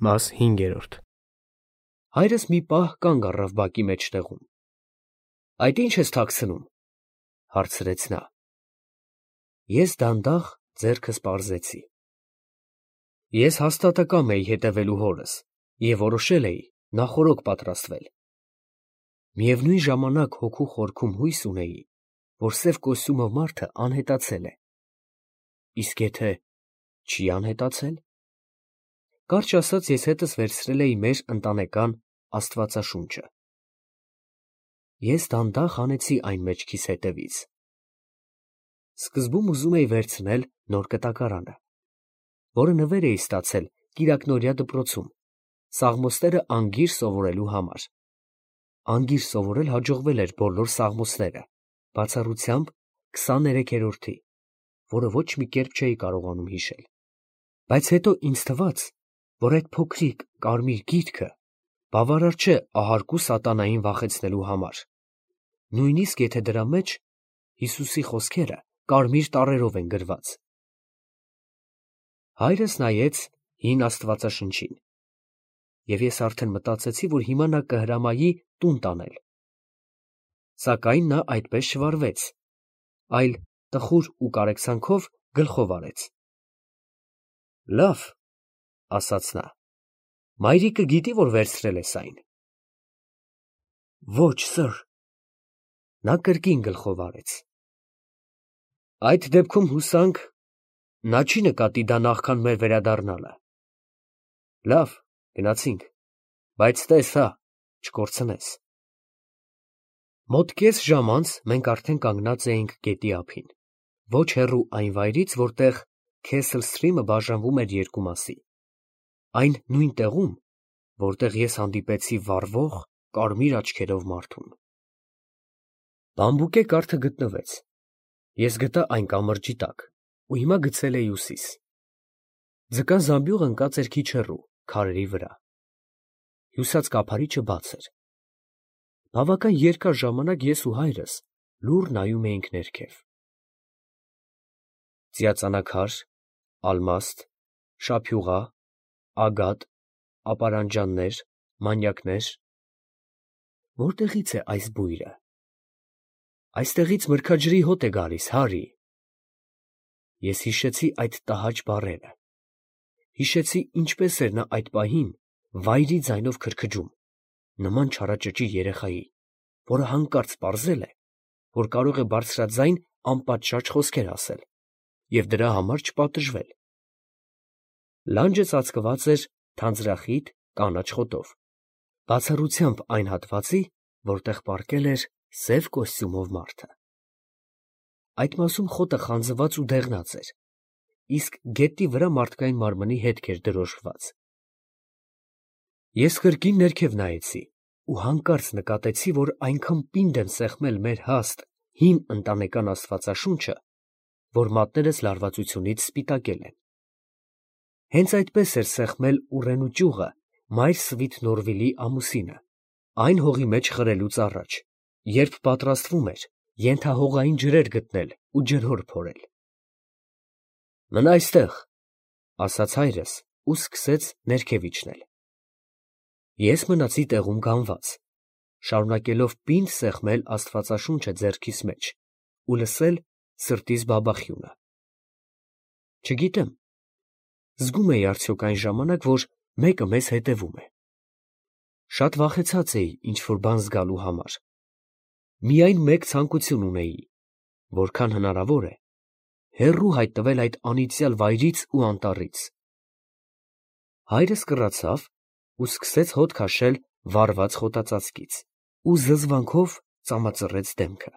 Մաս 5. Հայրս մի պահ կանգ առավ բակի մեջտեղում։ Այդ ի՞նչ ես թաքցնում, հարցրեց նա։ Ես դանդաղ ձեռքս պարզեցի։ Ես հաստատակամ էի հետևելու հորս և որոշել էի նախօրոք պատրաստվել։ Միևնույն ժամանակ հոգու խորքում հույս ունեի, որ սև կոստյումով մարդը անհետացել է։ Իսկ եթե չի անհետացել։ Կարճ ասած, ես հետս վերցրել էի մեր ընտանեկան Աստվածաշունչը։ Ես դանդաղ հանեցի այն մեջքիս հետևից։ Սկզբում ուզում էի վերցնել նոր կտակարանը, որը նվեր էի ստացել կիրակնօրյա դպրոցում, Սաղմոսները անգիր սովորելու համար։ Անգիր սովորել հաջողվել էր բոլոր Սաղմոսները, բացառությամբ 23-րդի, որը ոչ մի կերպ չէի կարողանում հիշել։ Բայց հետո ինձ թվաց, որ այդ փոքրիկ կարմիր գիրքը բավարար չէ ահարկու սատանային վախեցնելու համար, նույնիսկ եթե դրա մեջ Հիսուսի խոսքերը կարմիր տառերով են գրված։ Հայրս նայեց հին Աստվածաշնչին, և ես արդեն մտածեցի, որ հիմա նա կհրամայի տուն տանել։ Սակայն նա այդպես չվարվեց, այլ տխուր ու կարեկցանքով գլխով արեց։ Լավ, ասաց նա, մայրիկը գիտի, որ վերցրել ես այն։ Ոչ, սըր։ Նա կրկին գլխով արեց։ Այդ դեպքում հուսանք, նա չի նկատի դա նախքան մեր վերադառնալը։ Լավ, գնացինք, բայց տես հա, չկորցնես։ Մոտ կես ժամ անց մենք արդեն կանգնած էինք գետի ափին, ոչ հեռու այն վայրից, որտեղ Քեսլ Սթրիմը բաժանվում էր երկու մասի, այն նույն տեղում, որտեղ ես հանդիպեցի վառվող կարմիր աչքերով մարդուն։ Բամբուկե կարթը գտնվեց։ Ես գտա այն կամրջի տակ ու հիմա գցել էի ուսիս։ Ձկան զամբյուղը ընկած էր քիչ հեռու, քարերի վրա։ Հյուսած կափարիչը բաց էր։ Բավական երկար ժամանակ ես ու հայրս լուռ նայում էինք ներքև։ Ծիածանաքար, ալմաստ, շափյուղա, ագատ, ապարանջաններ, մանյակներ։ Որտեղից է այս բույրը։ Այստեղից մրգաջրի հոտ է գալիս, Հարի։ Ես հիշեցի այդ տհաճ բառերը։ Հիշեցի, ինչպես էր նա այդ պահին վայրի ձայնով քրքջում, նման չարաճճի երեխայի, որը հանկարծ պարզել է, որ կարող է բարձրաձայն անպատշաճ խոսքեր ասել և դրա համար չպատժվել։ Լանջը ծածկված էր թանձրախիտ կանաչ խոտով, բացառությամբ այն հատվածի, որտեղ պառկել էր սև կոստյումով մարդը։ Այդ մասում խոտը խանձված ու դեղնած էր, իսկ գետնի վրա մարդկային մարմնի հետք էր դրոշմված։ Ես կրկին ներքև նայեցի ու հանկարծ նկատեցի, որ այնքան պինդ եմ սեղմել մեր հաստ, հին ընտանեկան Աստվածաշունչը, որ մատներս լարվածությունից սպիտակել են։ Հենց այդպես էր սեղմել ուռենու ճյուղը մայր Սվիթ Նորվիլի ամուսինը, այն հողի մեջ խրելուց առաջ, երբ պատրաստվում էր ենթահողային ջրեր գտնել ու ջրհոր փորել։ Մնա այստեղ, ասաց հայրս ու սկսեց ներքև իջնել։ Ես մնացի տեղում կանգնած, շարունակելով պինդ սեղմել Աստվածաշունչը ձեռքիս մեջ ու լսել սրտիս բաբախյունը։ Չգիտեմ, զգում էի արդյոք այն ժամանակ, որ մեկը մեզ հետևում է։ Շատ վախեցած էի ինչ֊որ բան զգալու համար։ Միայն մեկ ցանկություն ունեի, որքան հնարավոր է, հեռու հայտնվել այդ անիծյալ վայրից ու անտառից։ Հայրս կռացավ ու սկսեց հոտ քաշել վառված խոտածածկից ու զզվանքով ծամածռեց դեմքը։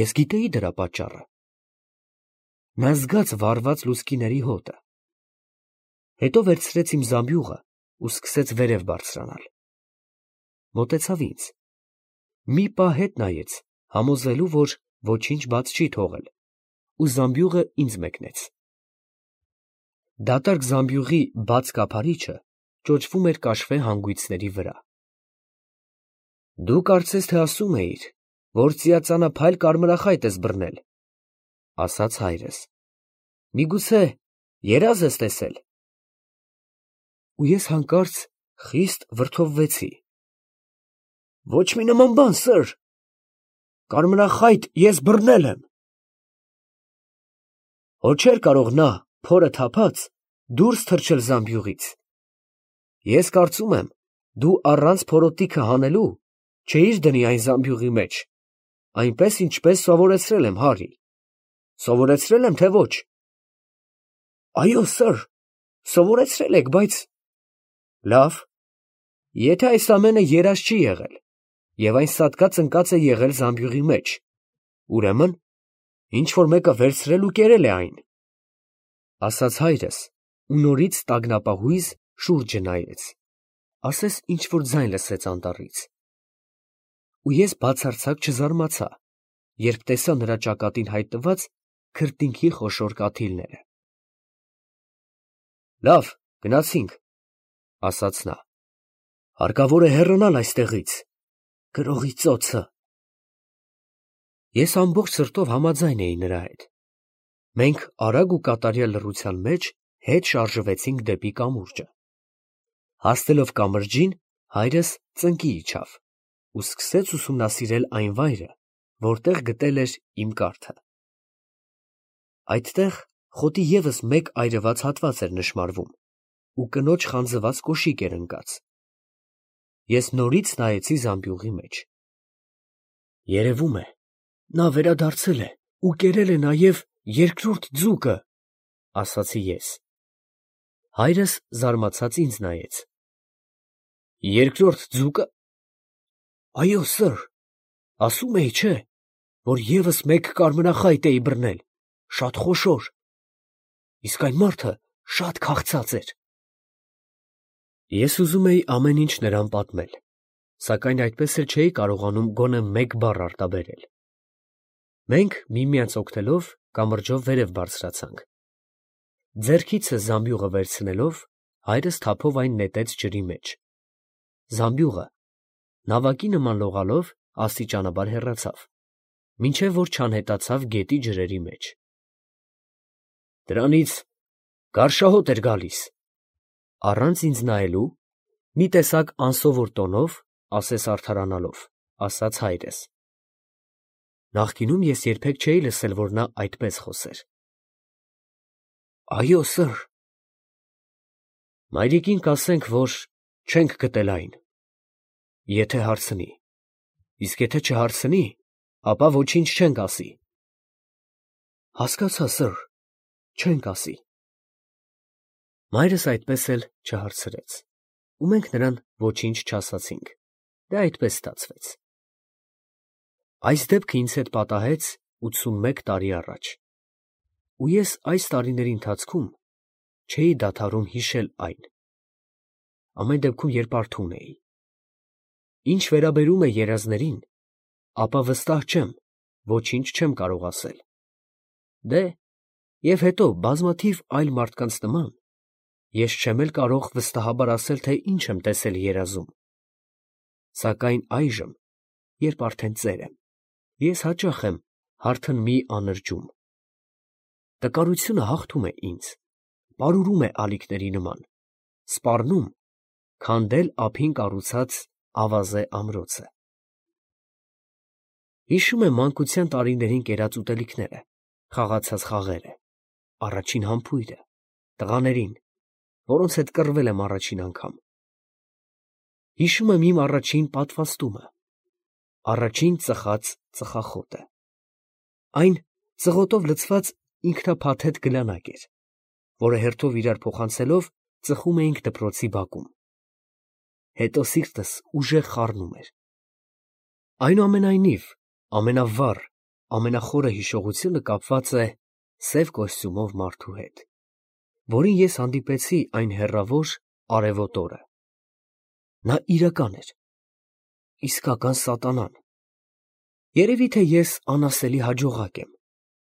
Ես գիտեի դրա պատճառը։ Նա զգաց վառված լուցկիների հոտը։ Հետո վերցրեց իմ զամբյուղը ու սկսեց վերև բարձրանալ։ Մոտեցավ ինձ։ Մի պահ հետ նայեց, համոզվելու, որ ոչինչ բաց չի թողել, ու զամբյուղը ինձ մեկնեց։ Դատարկ զամբյուղի բաց կափարիչը ճոճվում էր կաշվե հանգույցների վրա։ Դու կարծես թե ասում էիր, որ ծիածանափայլ կարմրախայտ ես բռնել, ասաց հայրս։ Միգուցե երազ ես տեսել։ ու ես հանկարծ խիստ վրդովվեցի։ Ոչ մի նման բան, սըր, կարմրախայտ ես բռնել եմ։ Հո չէր կարող նա, փորը թափած, դուրս թռչել զամբյուղից։ Ես կարծում եմ, դու առանց փորոտիքը հանելու չէիր դնի այն զամբյուղի մեջ, այնպես ինչպես սովորեցրել եմ, Հարի։ Սովորեցրել եմ, թե ոչ։ Այո, սըր, սովորեցրել եք, բայց… Լավ, եթե այս ամենը երազ չի եղել, և այն սատկած ընկած է եղել զամբյուղի մեջ, ուրեմն ինչ֊որ մեկը վերցրել ու կերել է այն, ֊ ասաց հայրս ու նորից տագնապահույզ շուրջը նայեց, ասես ինչ֊որ ձայն լսեց անտառից։ Ու ես բացարձակ չզարմացա, երբ տեսա նրա ճակատին հայտնված քրտինքի խոշոր կաթիլները։ Լավ, գնացինք, ֊ ասաց նա, հարկավոր է հեռանալ այստեղից, գրողի ծոցը։ Ես ամբողջ սրտով համաձայն էի նրա հետ։ Մենք արագ ու կատարյալ լռության մեջ հետ շարժվեցինք դեպի կամուրջը։ Հասնելով կամրջին, հայրս ծնկի իջավ ու սկսեց ուսումնասիրել այն վայրը, որտեղ գտել էր իմ կառքը։ Այդտեղ խոտի ևս մեկ այրված հատված էր նշմարվում ու կնոջ խանձված կոշիկ էր ընկած։ Ես նորից նայեցի զամբյուղի մեջ։ Երևում է, նա վերադարձել է ու կերել է նաև երկրորդ ձուկը, ֊ ասացի ես։ Հայրս զարմացած ինձ նայեց։ Երկրորդ ձուկը… Այո, սըր, ասում էի, չէ, որ ևս մեկ կարմրախայտ էի բռնել, շատ խոշոր, իսկ այն մարդը շատ քաղցած էր։ Ես ուզում էի ամեն ինչ նրան պատմել, սակայն այդպես էլ չէի կարողանում գոնե մեկ բառ արտաբերել։ Մենք միմյանց օգնելով կամրջով վերև բարձրացանք։ Ձեռքիցս զամբյուղը վերցնելով, հայրս թափով այն նետեց ջրի մեջ։ Զամբյուղը, նավակի նման լողալով, աստիճանաբար հեռացավ, մինչև որ չանհետացավ գետի ջրերի մեջ։ Դրանից գարշահոտ էր գալիս, ֊ առանց ինձ նայելու, մի տեսակ անսովոր տոնով, ասես արդարանալով, ասաց հայրս։ Նախկինում ես երբեք չէի լսել, որ նա այդպես խոսեր։ Այո, սըր։ Մայրիկին կասենք, որ չենք գտել այն, եթե հարցնի, իսկ եթե չհարցնի, ապա ոչինչ չենք ասի։ Հասկացա, սըր, չենք ասի։ Մայրս այդպես էլ չհարցրեց, ու մենք նրան ոչինչ չասացինք, դա այդպես ստացվեց։ Այս դեպքը ինձ հետ պատահեց 81 տարի առաջ, ու ես այս տարիների ընթացքում չէի դադարում հիշել այն, ամեն դեպքում, երբ արթուն էի։ Ինչ վերաբերում է երազներին, ապա վստահ չեմ, ոչինչ չեմ կարող ասել։ Դե, և հետո բազմաթիվ այլ մարդկանց նման, ես չեմ էլ կարող վստահաբար ասել, թե ինչ եմ տեսել երազում։ Սակայն այժմ, երբ արդեն ծեր եմ, ես հաճախ եմ հարթն մի անրջում։ Տկարությունը հաղթում է ինձ, պարուրում է ալիքների նման, սպառնում քանդել ափին կառուցած ավազե ամրոցը։ Հիշում եմ մանկության տարիներին կերած ուտելիքները, խաղացած խաղերը, առաջին համբույրը, տղաներին, որոնց հետ կռվել եմ առաջին անգամ։ Հիշում եմ իմ առաջին պատվաստումը, առաջին ծխած ծխախոտը։ Այն ծղոտով լցված ինքնափաթեթ գլանակ էր, որը հերթով իրար փոխանցելով ծխում էինք դպրոցի բակում։ Հետո սիրտս ուժեղ խառնում էր։ Այնուամենայնիվ, ամենավառ, ամենախորը հիշողությունը կապված է սև կոստյումով մարդու հետ, որին ես հանդիպեցի այն հեռավոր արևոտ օրը։ Նա իրական էր, իսկական սատանան։ Երևի թե ես անասելի հաջողակ եմ,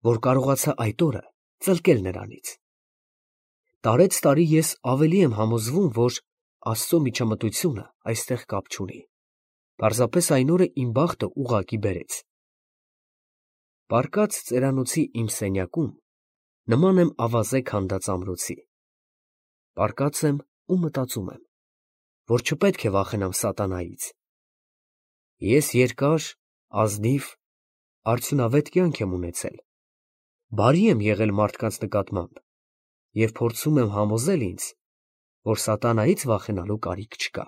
որ կարողացա այդ օրը ծլկել նրանից։ Տարեցտարի ես ավելի եմ համոզվում, որ Աստծո միջամտությունը այստեղ կապ չունի, պարզապես այն օրը իմ բախտը ուղղակի բերեց։ Պառկած ծերանոցի իմ սենյակում նման եմ ավազե քանդած ամրոցի։ Պառկած եմ ու մտածում եմ, որ չպետք է վախենամ սատանայից։ Ես երկար, ազնիվ, արդյունավետ կյանք եմ ունեցել, բարի եմ եղել մարդկանց նկատմամբ և փորձում եմ համոզել ինձ, որ սատանայից վախենալու կարիք չկա։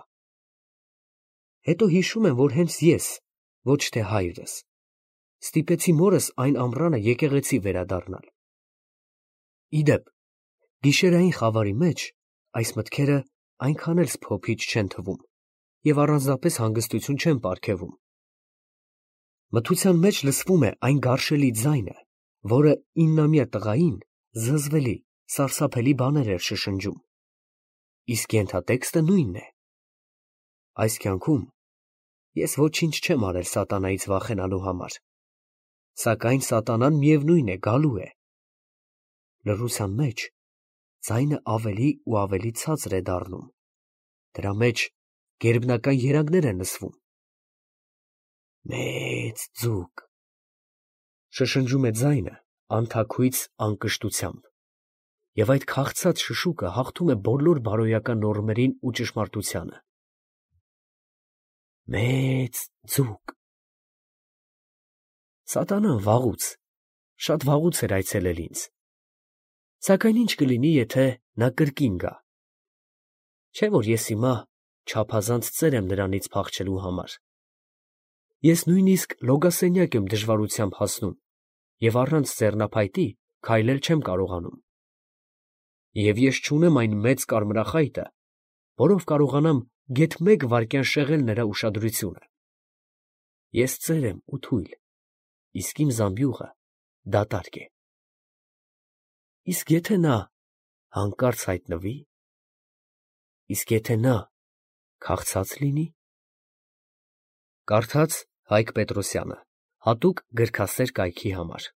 Հետո հիշում եմ, որ հենց ես, ոչ թե հայրս, ստիպեցի մորս այն ամռանը եկեղեցի վերադառնալ։ Ի դեպ, գիշերային խավարի մեջ այս մտքերը այնքան էլ սփոփիչ չեն թվում և առանձնապես հանգստություն չեն պարգևում։ Մթության մեջ լսվում է այն գարշելի ձայնը, որը 9-ամյա տղային զզվելի, սարսափելի բաներ էր շշնջում, իսկ ենթատեքստը նույնն է։ Այս կյանքում ես ոչինչ չեմ արել սատանայից վախենալու համար, սակայն սատանան միևնույն է գալու է։ Լռության մեջ ձայնը ավելի ու ավելի ցածր է դառնում, դրա մեջ գերբնական երանգներ են լսվում։ Մեծ ձուկ, շշնջում է ձայնը անթաքույց անկշտությամբ, և այդ քաղցած շշուկը հաղթում է բոլոր բարոյական նորմերին ու ճշմարտությանը։ Մեծ ձուկ։ Սատանան վաղուց, շատ վաղուց էր այցելել ինձ, սակայն ինչ կլինի, եթե նա կրկին գա։ Չէ՞ որ ես հիմա չափազանց ծեր եմ նրանից փախչելու համար։ Ես նույնիսկ լոգասենյակ եմ դժվարությամբ հասնում և առանց ձեռնափայտի քայլել չեմ կարողանում։ Եվ ես չունեմ այն մեծ կարմրախայտը, որով կարողանամ գեթ մեկ վայրկյան շեղել նրա ուշադրությունը։ Ես ծեր եմ ու թույլ, իսկ իմ զամբյուղը դատարկ է։ Իսկ եթե նա հանկարծ հայտնվի, իսկ եթե նա քաղցած լինի։ Կարդաց Հայկ Պետրոսյանը, հատուկ գրքասեր կայքի համար։